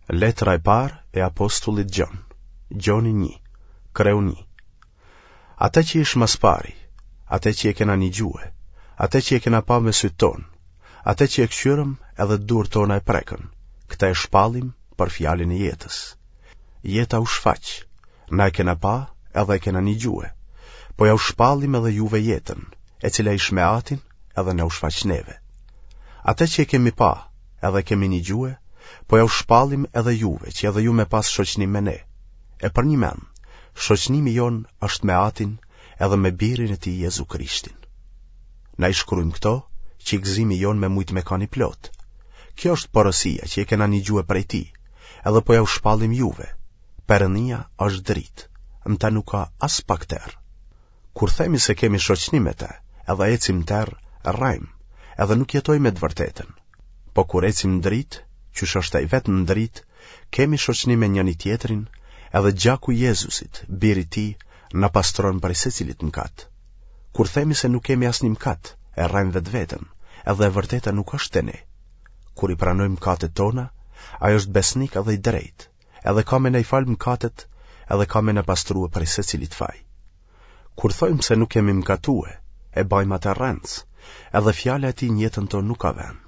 Letra e parë e apostullit Gjon, Gjoni 1, kreu 1. Atë që ish ma s'pari, atë që e kena nigjue, atë që e kena pa me sytë tonë, atë që e kqyrëm edhe durt tona e prekën, këtë e shpallim për fjalën e jetës. Jeta u shfaq, na e kena pa edhe e kena nigjue, po jau shpallim edhe juve jetën, e cila ish me atin edhe na u shfaq neve. Atë që e kemi pa, edhe kemi nigjue, po jau shpallim edhe juve, që edhe ju me pas shoqnim me ne. E përnjëmend, shoqnimi jonë është me Atin edhe me Birin e Tij Jezu Krishtin. Na i shkrujmë këto, që gëzimi jonë me mujtë me kanë i plotë. Kjo është porosia që e kena nigjue prej Tij, edhe po jau shpallim juve. Perënia është dritë, në të nuk ka aspak terr. Kur themi se kemi shoqni me të, edhe ecim në terr, rrejmë, edhe nuk jetojmë me të vërtetën. Po kur ecim në dritë, qysh është ai vetë në dritë, kemi shoqni me njëri-tjetrin, edhe gjaku i Jezusit, birit tij, na pastron prej secilit mëkat. Kur themi se nuk kemi asnjë mëkat, e rrejmë vetveten, edhe e vërteta nuk është te ne. Kur i pranojmë mëkatet tona, ai është besnik edhe i drejtë, edhe ka me na i falë mëkatet, edhe ka me na pastrue prej secilit faj. Kur thojmë se nuk kemi mëkatue, e bajmë atë rrenc, edhe fjala e tij në jetën tonë nuk ka vend.